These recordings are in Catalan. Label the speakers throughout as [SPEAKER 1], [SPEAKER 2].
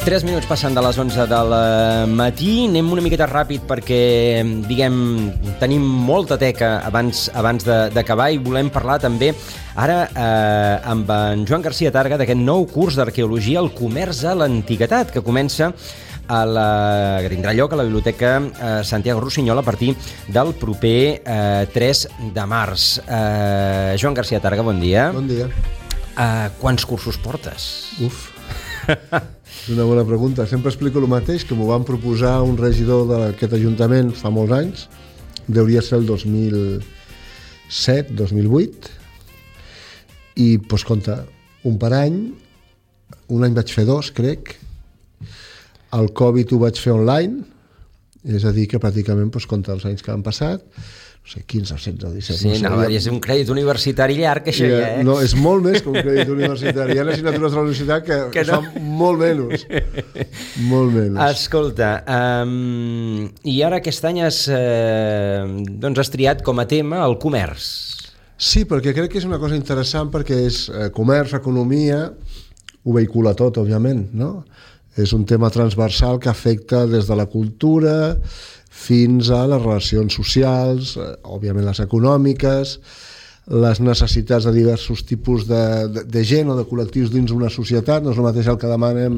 [SPEAKER 1] 3 minuts passant de les 11 del matí. Anem una miqueta ràpid perquè, tenim molta teca abans d'acabar i volem parlar també ara amb en Joan Garcia Targa d'aquest nou curs d'arqueologia al comerç a l'antiguitat que comença que tindrà lloc a la Biblioteca Santiago Rossinyol a partir del proper 3 de març. Joan Garcia Targa, bon dia.
[SPEAKER 2] Bon dia.
[SPEAKER 1] Quants cursos portes?
[SPEAKER 2] És una bona pregunta. Sempre explico el mateix, que m'ho van proposar un regidor d'aquest ajuntament fa molts anys. Deuria ser el 2007, 2008. I, doncs, compte, un per any. Un any vaig fer 2, crec. El Covid ho vaig fer online. És a dir, que pràcticament, doncs, compte els anys que han passat, no sé, 15 o 16 o 17.
[SPEAKER 1] Sí, no, és un crèdit universitari llarg, això ja,
[SPEAKER 2] No, és molt més que un crèdit universitari. Hi ha assignatures de la universitat que no. Fan molt menys. Molt menys.
[SPEAKER 1] Escolta, i ara aquest any has triat com a tema el comerç.
[SPEAKER 2] Sí, perquè crec que és una cosa interessant, perquè és comerç, economia, ho vehicula tot, òbviament, no? És un tema transversal que afecta des de la cultura fins a les relacions socials, òbviament les econòmiques, les necessitats de diversos tipus de gent o de col·lectius dins una societat. No és el mateix el que demanem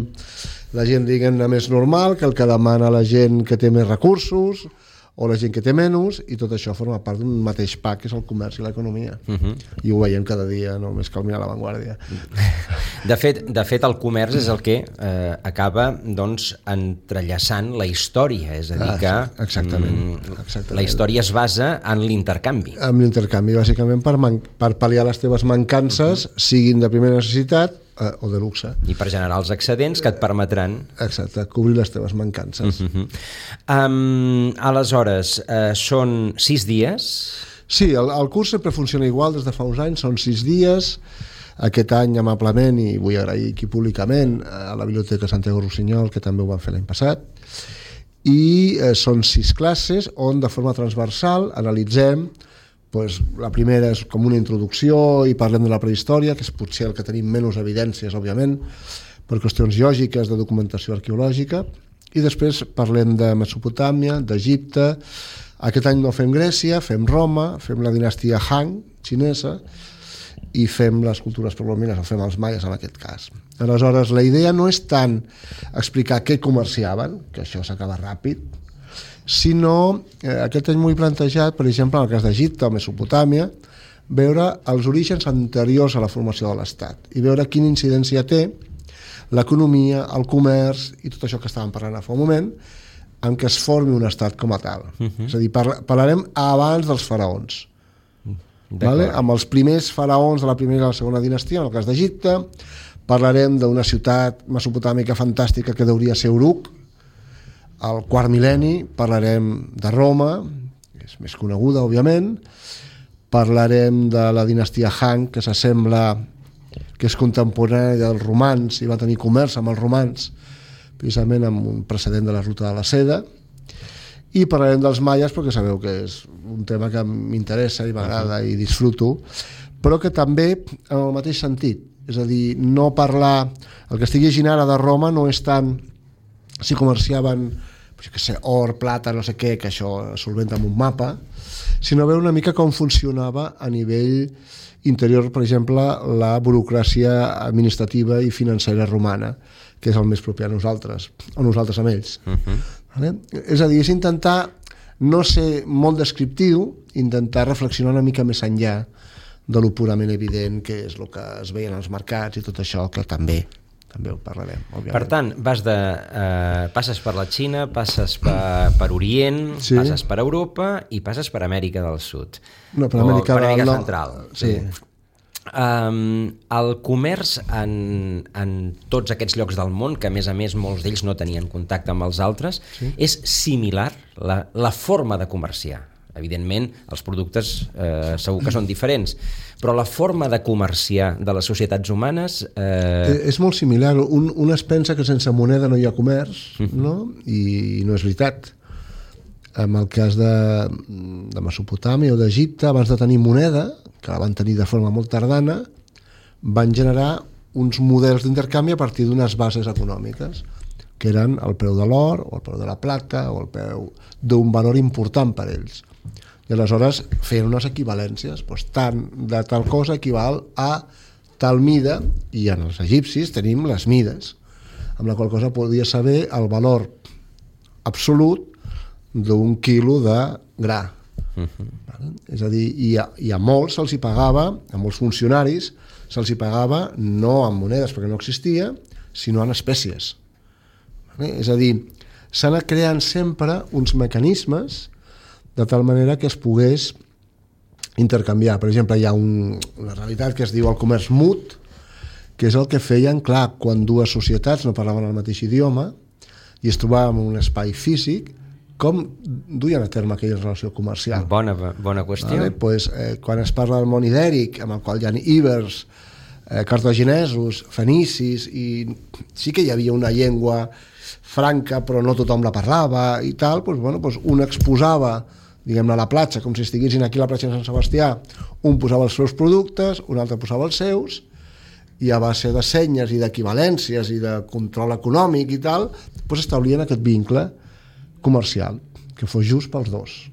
[SPEAKER 2] la gent, diguem-ne, més normal que el que demana la gent que té més recursos o la gent que té menys, i tot això forma part d'un mateix pack, que és el comerç i l'economia. I ho veiem cada dia, no més cal mirar La Vanguardia.
[SPEAKER 1] De fet, el comerç és el que acaba, doncs, entrellaçant la història, és a dir que
[SPEAKER 2] exactament.
[SPEAKER 1] La història es basa en l'intercanvi.
[SPEAKER 2] En l'intercanvi, bàsicament per pal·liar les teves mancances, siguin de primera necessitat o de luxe.
[SPEAKER 1] I per generar els excedents que et permetran...
[SPEAKER 2] Exacte, cobrir les teves mancances.
[SPEAKER 1] Aleshores, són 6 dies?
[SPEAKER 2] Sí, el curs sempre funciona igual des de fa uns anys, són 6 dies. Aquest any, amablement, i vull agrair aquí públicament a la Biblioteca Santiago Rossinyol, que també ho van fer l'any passat, i són 6 classes on de forma transversal analitzem. La primera és com una introducció i parlem de la prehistòria, que és potser el que tenim menys evidències, òbviament, per qüestions lògiques de documentació arqueològica, i després parlem de Mesopotàmia, d'Egipte. Aquest any no fem Grècia, fem Roma, fem la dinastia Han xinesa i fem les cultures precolombianes, o fem els maies en aquest cas. Aleshores, la idea no és tant explicar què comerciaven, que això s'acaba ràpid, sinó, aquest any m'ho he plantejat, per exemple, en el cas d'Egipte o Mesopotàmia, veure els orígens anteriors a la formació de l'Estat i veure quina incidència té l'economia, el comerç i tot això que estàvem parlant fa un moment, en què es formi un estat com a tal. És a dir, parlarem abans dels faraons. Amb els primers faraons de la primera i la segona dinastia, en el cas d'Egipte, parlarem d'una ciutat mesopotàmica fantàstica que hauria ser Uruk. Al quart mil·lenni parlarem de Roma, que és més coneguda, òbviament. Parlarem de la dinastia Han, que s'assembla, que és contemporània dels romans i va tenir comerç amb els romans, precisament amb un precedent de la ruta de la seda. I parlarem dels maies, perquè sabeu que és un tema que m'interessa i m'agrada i disfruto, però que també en el mateix sentit. És a dir, no parlar... El que estic llegint ara de Roma no és tant si comerciaven or, plata, no sé què, que això solventa amb un mapa, sinó veure una mica com funcionava a nivell interior, per exemple, la burocràcia administrativa i financera romana, que és el més proper a nosaltres, o nosaltres amb ells. És a dir, és intentar no ser molt descriptiu, intentar reflexionar una mica més enllà de lo purament evident, que és el que es veia en els mercats i tot això, que també ho parlarem, òbviament.
[SPEAKER 1] Per tant, passes per la Xina, passes per Orient, sí. Passes per Europa i passes per Amèrica del Sud.
[SPEAKER 2] No, per Amèrica
[SPEAKER 1] Central. Sí. El comerç en tots aquests llocs del món, que a més molts d'ells no tenien contacte amb els altres, sí. És similar la forma de comerciar. Evidentment, els productes segur que són diferents, però la forma de comerciar de les societats humanes...
[SPEAKER 2] És molt similar. Un es pensa que sense moneda no hi ha comerç, no? I no és veritat. En el cas de Mesopotàmia o d'Egipte, abans de tenir moneda, que la van tenir de forma molt tardana, van generar uns models d'intercanvi a partir d'unes bases econòmiques. que eren el preu de l'or o el preu de la plata o el preu d'un valor important per ells. I aleshores feien unes equivalències, doncs tant de tal cosa equival a tal mida, i en els egipcis tenim les mides, amb la qual cosa podia saber el valor absolut d'un quilo de gra. És a dir, i a molts se'ls hi pagava, a molts funcionaris se'ls hi pagava no en monedes perquè no existia, sinó en espècies. És a dir, s'han anat creant sempre uns mecanismes de tal manera que es pogués intercanviar. Per exemple, hi ha una realitat que es diu el comerç mut, que és el que feien, clar, quan dues societats no parlaven el mateix idioma i es trobaven en un espai físic, com duien a terme aquella relació comercial.
[SPEAKER 1] Bona qüestió.
[SPEAKER 2] Vale? Pues, quan es parla del món ibèric, amb el qual hi ha ibers, cartaginesos, fenicis, i sí que hi havia una llengua franca, però no tothom la parlava i tal, pues, bueno, pues un exposava, diguem-ne, a la platja, com si estiguessin aquí a la platja de Sant Sebastià, un posava els seus productes, un altre posava els seus, i a base de senyes i d'equivalències i de control econòmic i tal, pues establien aquest vincle comercial, que fos just pels dos.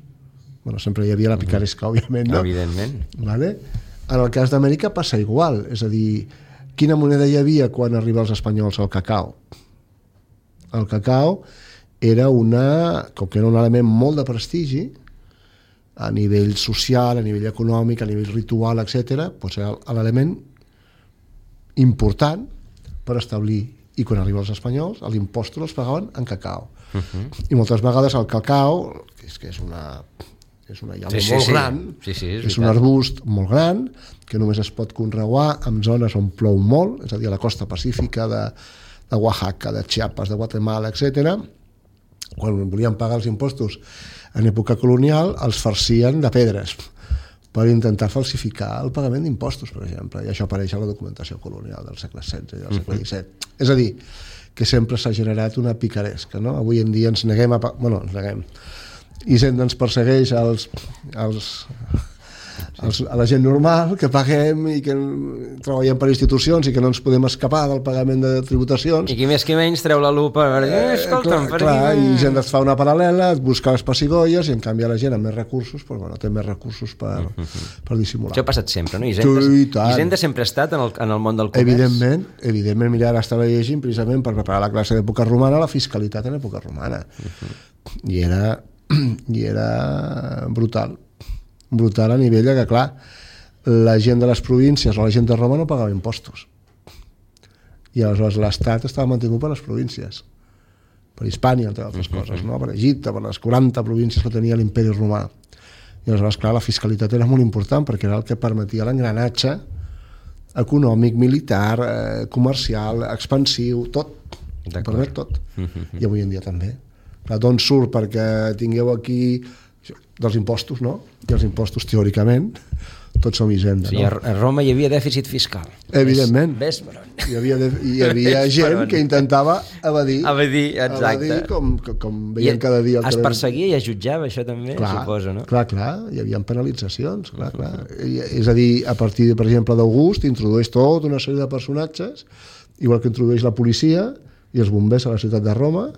[SPEAKER 2] Bueno, sempre hi havia la picaresca, òbviament, no?
[SPEAKER 1] Evidentment.
[SPEAKER 2] Vale? En el cas d'Amèrica passa igual, és a dir, quina moneda hi havia quan arriba als espanyols? El cacau. El cacau era com que era un element molt de prestigi, a nivell social, a nivell econòmic, a nivell ritual, etc., doncs era l'element important per establir, i quan arriba als espanyols els impostos els pagaven en cacau. I moltes vegades el cacau, que és una llavor molt gran, és un arbust molt gran que només es pot conrear en zones on plou molt, és a dir, a la costa pacífica de Oaxaca, de Chiapas, de Guatemala, etc. Quan volien pagar els impostos en època colonial els farcien de pedres per intentar falsificar el pagament d'impostos, per exemple, i això apareix a la documentació colonial del segle XVI i del segle XVII. És a dir, que sempre s'ha generat una picaresca, no? Avui en dia ens neguem ens neguem. Hisenda ens persegueix a la gent normal, que paguem i que treballem per institucions i que no ens podem escapar del pagament de tributacions.
[SPEAKER 1] I qui més qui menys treu la lupa escolta'm,
[SPEAKER 2] clar, i gent et fa una paral·lela, et busca les pessigolles, i en canvi la gent amb més recursos té més recursos per dissimular.
[SPEAKER 1] Això ha passat sempre, no? Hisenda sempre ha estat en el món del comerç.
[SPEAKER 2] Evidentment, mira, ara estava llegint precisament per preparar la classe d'època romana, la fiscalitat en època romana. I era brutal a nivell que, clar, la gent de les províncies o la gent de Roma no pagava impostos, i aleshores l'estat estava mantingut per les províncies, per Hispània, entre altres coses, no? Per Egipte, per les 40 províncies que tenia l'imperi romà, i aleshores, clar, la fiscalitat era molt important perquè era el que permetia l'engranatge econòmic, militar, comercial, expansiu, tot, permet tot. I avui en dia també. D'on surt? Perquè tingueu aquí dels impostos, no? I els impostos, teòricament, tots som Hisenda, no?
[SPEAKER 1] A Roma hi havia dèficit fiscal.
[SPEAKER 2] Evidentment.
[SPEAKER 1] Ves per on.
[SPEAKER 2] Hi havia gent que intentava evadir.
[SPEAKER 1] Exacte.
[SPEAKER 2] Com veiem cada dia.
[SPEAKER 1] Es perseguia i es jutjava, això també, suposo, no?
[SPEAKER 2] Clar, hi havia penalitzacions, clar. És a dir, a partir, per exemple, d'August, introdueix tota una sèrie de personatges, igual que introdueix la policia i els bombers a la ciutat de Roma,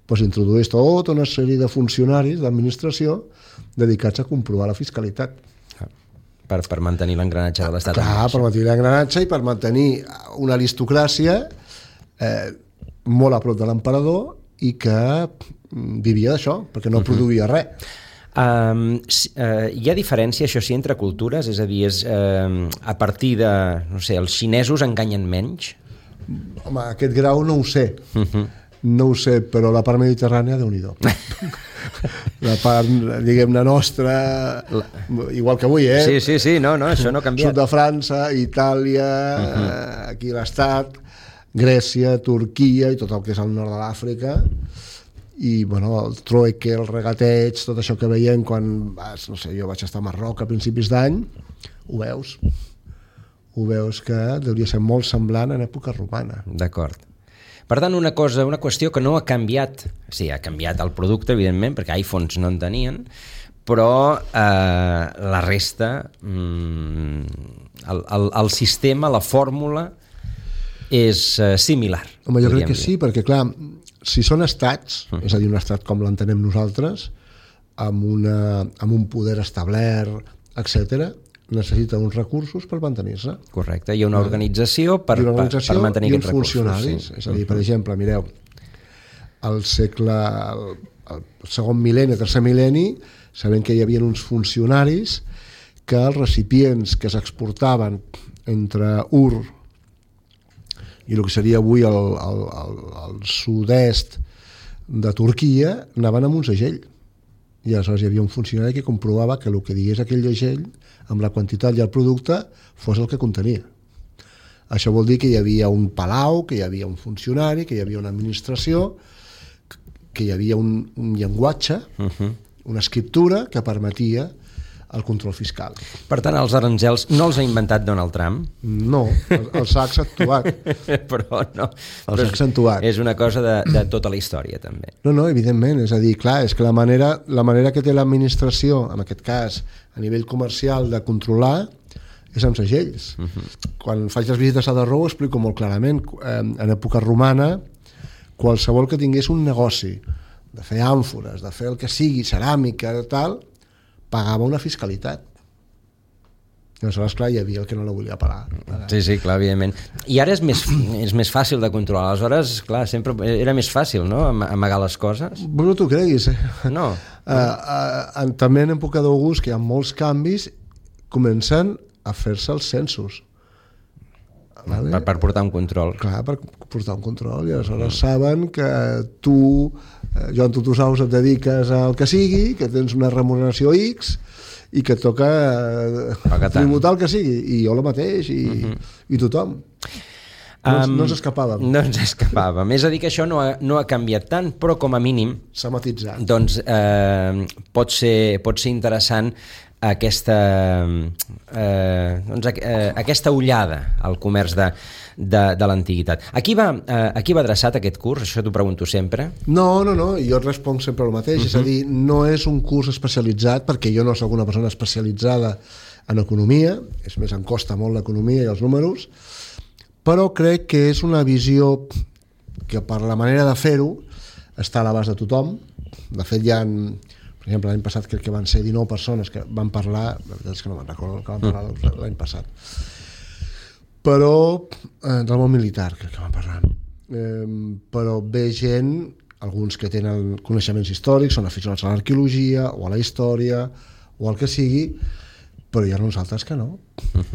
[SPEAKER 2] doncs introdueix tota una sèrie de funcionaris d'administració dedicats a comprovar la fiscalitat.
[SPEAKER 1] Per mantenir l'engranatge de l'estat.
[SPEAKER 2] Clar, per mantenir l'engranatge i per mantenir una aristocràcia molt a prop de l'emperador i que vivia d'això, perquè no produïa res.
[SPEAKER 1] Hi ha diferència, això sí, entre cultures? És a dir, a partir de, no sé, els xinesos enganyen menys?
[SPEAKER 2] Home, aquest grau no ho sé. No ho sé, però la part mediterrània, Déu-n'hi-do. La part, diguem-ne, nostra, igual que avui,
[SPEAKER 1] Sí, no, això no ha canviat.
[SPEAKER 2] Sud de França, Itàlia, aquí l'estat, Grècia, Turquia i tot el que és el nord de l'Àfrica, i, bueno, el trueque, el regateig, tot això que veiem quan vas, no sé, jo vaig estar a Marroc a principis d'any, ho veus que hauria ser molt semblant en època romana.
[SPEAKER 1] D'acord. Per tant, una qüestió que no ha canviat, sí, ha canviat el producte, evidentment, perquè iPhones no en tenien, però la resta, el sistema, la fòrmula, és similar.
[SPEAKER 2] Home, jo crec que sí, perquè, clar, si són estats, és a dir, un estat com l'entenem nosaltres, amb un poder establert, etc., necessita uns recursos per mantenir-se.
[SPEAKER 1] Correcte, hi ha una organització per mantenir aquests recursos. I uns funcionaris.
[SPEAKER 2] Sí. És a dir, per exemple, mireu, al segle, el segon mil·lenni, el tercer mil·lenni, sabem que hi havia uns funcionaris que els recipients que s'exportaven entre Ur i el que seria avui el sud-est de Turquia anaven amb un segell. I aleshores hi havia un funcionari que comprovava que el que digués aquell segell, amb la quantitat i el producte, fos el que contenia. Això vol dir que hi havia un palau, que hi havia un funcionari, que hi havia una administració, que hi havia un llenguatge, una escriptura que permetia el control fiscal.
[SPEAKER 1] Per tant, els aranzels no els ha inventat Donald Trump?
[SPEAKER 2] No, els ha accentuat.
[SPEAKER 1] Però no.
[SPEAKER 2] Els ha accentuat.
[SPEAKER 1] És una cosa de tota la història, també.
[SPEAKER 2] No, evidentment. És a dir, clar, és que la manera que té l'administració, en aquest cas, a nivell comercial, de controlar, és amb segells. Quan faig les visites a Darrou ho explico molt clarament. En època romana, qualsevol que tingués un negoci de fer àmfores, de fer el que sigui, ceràmica, tal, pagava una fiscalitat. I aleshores, clar, hi havia el que no la volia pagar.
[SPEAKER 1] Sí, clar, evidentment. I ara és més fàcil de controlar. Aleshores, clar, sempre era més fàcil, no?, amagar les coses.
[SPEAKER 2] No t'ho creguis,
[SPEAKER 1] No.
[SPEAKER 2] També en època d'August, que hi ha molts canvis, comencen a fer-se els censos.
[SPEAKER 1] Vale? Per portar un control.
[SPEAKER 2] Clar, per portar un control. I aleshores saben que tu, Joan Tutusaus, et dediques al que sigui, que tens una remuneració X i que et toca tributar el que sigui. I jo el mateix, i tothom. No ens escapàvem.
[SPEAKER 1] No ens escapàvem. És a dir, que això no ha canviat tant, però com a mínim
[SPEAKER 2] s'ha matitzat.
[SPEAKER 1] Doncs pot ser interessant aquesta ullada al comerç de l'antiguitat. A qui va adreçat aquest curs? Això t'ho pregunto sempre.
[SPEAKER 2] No, jo et responc sempre el mateix. És a dir, no és un curs especialitzat, perquè jo no soc una persona especialitzada en economia, és més, em costa molt l'economia i els números, però crec que és una visió que per la manera de fer-ho està a l'abast de tothom. De fet, hi ha, per exemple, l'any passat crec que van ser 19 persones que van parlar, la veritat és que no me'n recordo que van parlar l'any passat, però del món militar crec que van parlar, però ve gent, alguns que tenen coneixements històrics, són aficionats a l'arqueologia o a la història o al que sigui, però hi ha uns altres que no,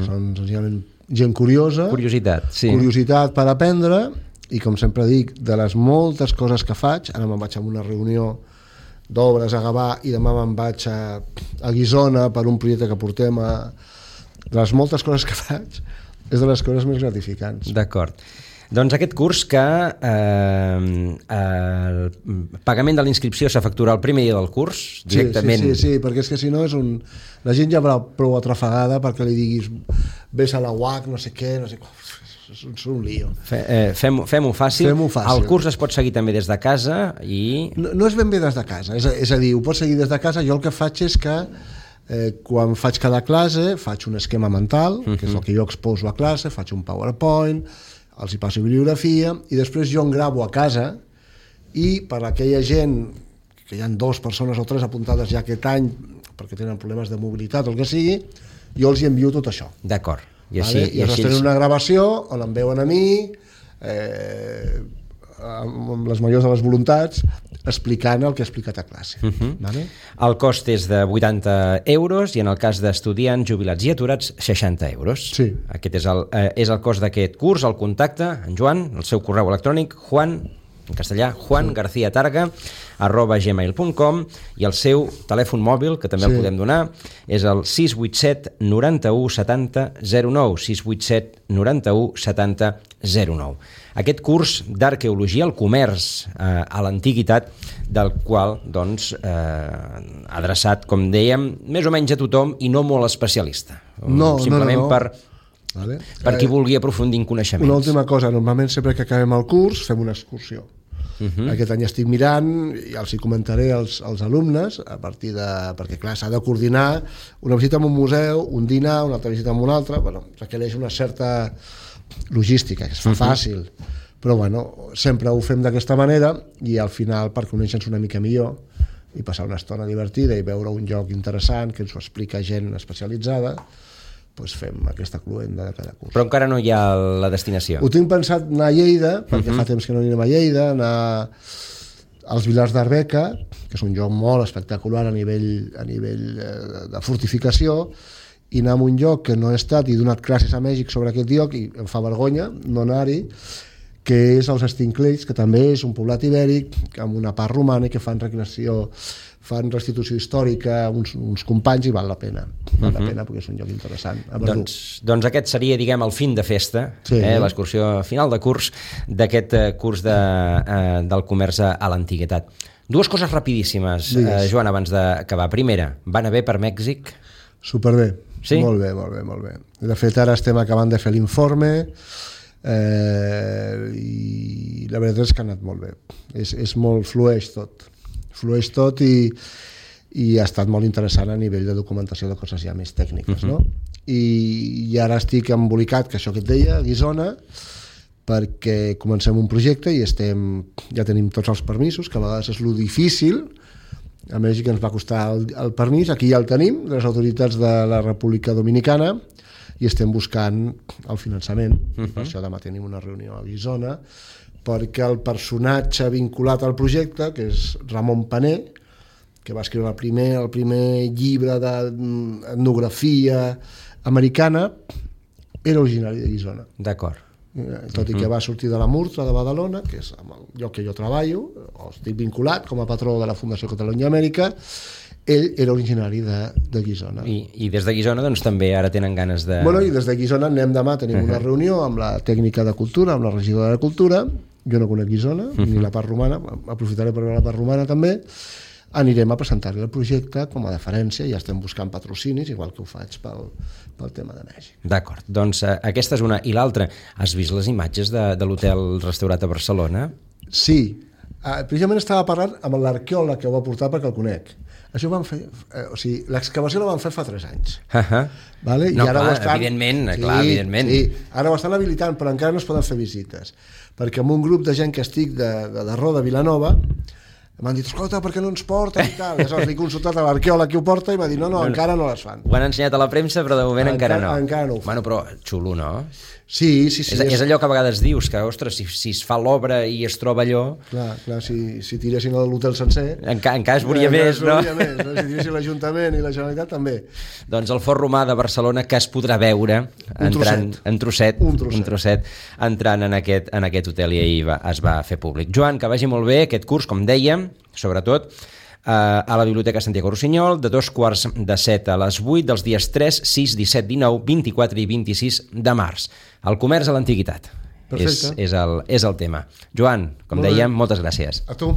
[SPEAKER 2] són senzillament gent curiosa, curiositat per aprendre, i com sempre dic, de les moltes coses que faig, ara me'n vaig a una reunió d'obres a Gavà i demà me'n vaig a Guissona per un projecte que portem de les moltes coses que faig, és de les coses més gratificants.
[SPEAKER 1] D'acord. Doncs aquest curs que el pagament de la inscripció s'efectuarà el primer dia del curs, directament.
[SPEAKER 2] Sí, perquè és que si no és un... La gent ja va prou atrafegada perquè li diguis vés a la UAC, no sé què, és un lío.
[SPEAKER 1] Fem-ho fàcil. El curs es pot seguir també des de casa i...
[SPEAKER 2] No és ben bé des de casa, és a dir, ho pots seguir des de casa. Jo el que faig és que quan faig cada classe faig un esquema mental, que és el que jo exposo a classe, faig un PowerPoint, els hi passo bibliografia i després jo en gravo a casa i per aquella gent que hi ha 2 persones o 3 apuntades ja aquest any perquè tenen problemes de mobilitat o el que sigui, jo els hi envio tot això.
[SPEAKER 1] D'acord.
[SPEAKER 2] I així tenen una gravació on em veuen a mi amb les majors de les voluntats explicant el que he explicat a classe. Vale?
[SPEAKER 1] El cost és de 80 euros i en el cas d'estudiants, jubilats i aturats 60 euros.
[SPEAKER 2] Sí.
[SPEAKER 1] Aquest és el cost d'aquest curs. El contacte, en Joan, el seu correu electrònic, en castellà, juangarciatarga@gmail.com, i el seu telèfon mòbil, que també el podem donar, és el 687 91 70 09, 687 91 70 09. Aquest curs d'arqueologia, el comerç a l'antiguitat, del qual, doncs, adreçat, com dèiem, més o menys a tothom i no molt especialista. Simplement per qui vulgui aprofundir en coneixements.
[SPEAKER 2] Una última cosa, normalment sempre que acabem el curs fem una excursió. Aquest any estic mirant i els hi comentaré als alumnes a partir de... perquè clar, s'ha de coordinar una visita a un museu, un dinar, una altra visita a un altre, requereix una certa logística, que es fa fàcil, Però bueno, sempre ho fem d'aquesta manera i al final, per conèixer-nos una mica millor i passar una estona divertida i veure un lloc interessant que ens ho explica gent especialitzada, doncs fem aquesta cluenda de cada curs.
[SPEAKER 1] Però encara no hi ha la destinació.
[SPEAKER 2] Ho tinc pensat anar a Lleida, perquè fa temps que no anem a Lleida, anar als Vilars d'Arbeca, que és un lloc molt espectacular a nivell de fortificació, i anar a un lloc que no he estat i he donat classes a Mèxic sobre aquest lloc i em fa vergonya no anar-hi, que és els Estinclells, que també és un poblat ibèric amb una part romana i que fan restitució històrica, uns companys, i val la pena. Val la pena perquè és un lloc interessant.
[SPEAKER 1] Doncs aquest seria, diguem, el fin de festa, l'excursió final de curs d'aquest curs del comerç a l'antiguitat. Dues coses rapidíssimes, Joan, abans d'acabar. Primera, va anar bé per Mèxic?
[SPEAKER 2] Superbé.
[SPEAKER 1] Sí?
[SPEAKER 2] Molt bé. De fet, ara estem acabant de fer l'informe i la veritat és que ha anat molt bé. És molt flueix tot i ha estat molt interessant a nivell de documentació de coses ja més tècniques, no? I ara estic embolicat, que això que et deia, a Guissona, perquè comencem un projecte i ja tenim tots els permisos, que a vegades és lo difícil. A Mèxic ens va costar el permís, aquí ja el tenim, de les autoritats de la República Dominicana, i estem buscant el finançament. Per això demà tenim una reunió a Guissona, perquè el personatge vinculat al projecte, que és Ramon Paner, que va escriure el primer llibre d'etnografia americana, era originari de Guissona.
[SPEAKER 1] D'acord.
[SPEAKER 2] Tot i que va sortir de la Murtra de Badalona, que és el lloc que jo treballo, o estic vinculat com a patró de la Fundació Catalunya Amèrica, ell era originari de Guissona.
[SPEAKER 1] I des de Guissona doncs també ara tenen ganes de...
[SPEAKER 2] Bueno, i des de Guissona anem demà, tenim una reunió amb la tècnica de cultura, amb la regidora de cultura, jo no conec Guissona, ni la part romana, aprofitaré per veure la part romana també, anirem a presentar-li el projecte com a deferència, ja estem buscant patrocinis, igual que ho faig pel tema de Mèxic.
[SPEAKER 1] D'acord, doncs aquesta és una. I l'altra, has vist les imatges de l'hotel restaurat a Barcelona?
[SPEAKER 2] Sí, precisament estava parlant amb l'arqueòleg que ho va portar perquè el conec. Això ho van fer, l'excavació la van fer fa 3 anys. Vale?
[SPEAKER 1] No,
[SPEAKER 2] i ara
[SPEAKER 1] clar, evidentment.
[SPEAKER 2] Sí, ara ho estan habilitant, però encara no es poden fer visites, perquè amb un grup de gent que estic de Roda, Vilanova, m'han dit, escolta, per què no ens porten i tal? Aleshores he consultat a l'arqueòleg que ho porta i m'ha dit, no, encara no les fan.
[SPEAKER 1] Ho han ensenyat a la premsa, però de moment encara no.
[SPEAKER 2] Encara no ho fan.
[SPEAKER 1] Bueno, però xulo, no?
[SPEAKER 2] Sí.
[SPEAKER 1] És allò que a vegades dius, que, ostres, si es fa l'obra i es troba allò...
[SPEAKER 2] Clar, si tiressin l'hotel sencer...
[SPEAKER 1] Encara es veuria més, no?
[SPEAKER 2] Si tiressin l'Ajuntament i la Generalitat, també.
[SPEAKER 1] Doncs el Fort Romà de Barcelona, que es podrà veure un trosset entrant en aquest hotel, i ahir es va fer públic. Joan, que vagi molt bé aquest curs, com dèiem, sobretot a la Biblioteca Santiago Rusiñol, de 6:45 a les 8 dels dies 3, 6, 17, 19, 24 i 26 de març. El comerç a l'antiguitat és el tema. Joan, com dèiem, moltes gràcies.
[SPEAKER 2] A tu.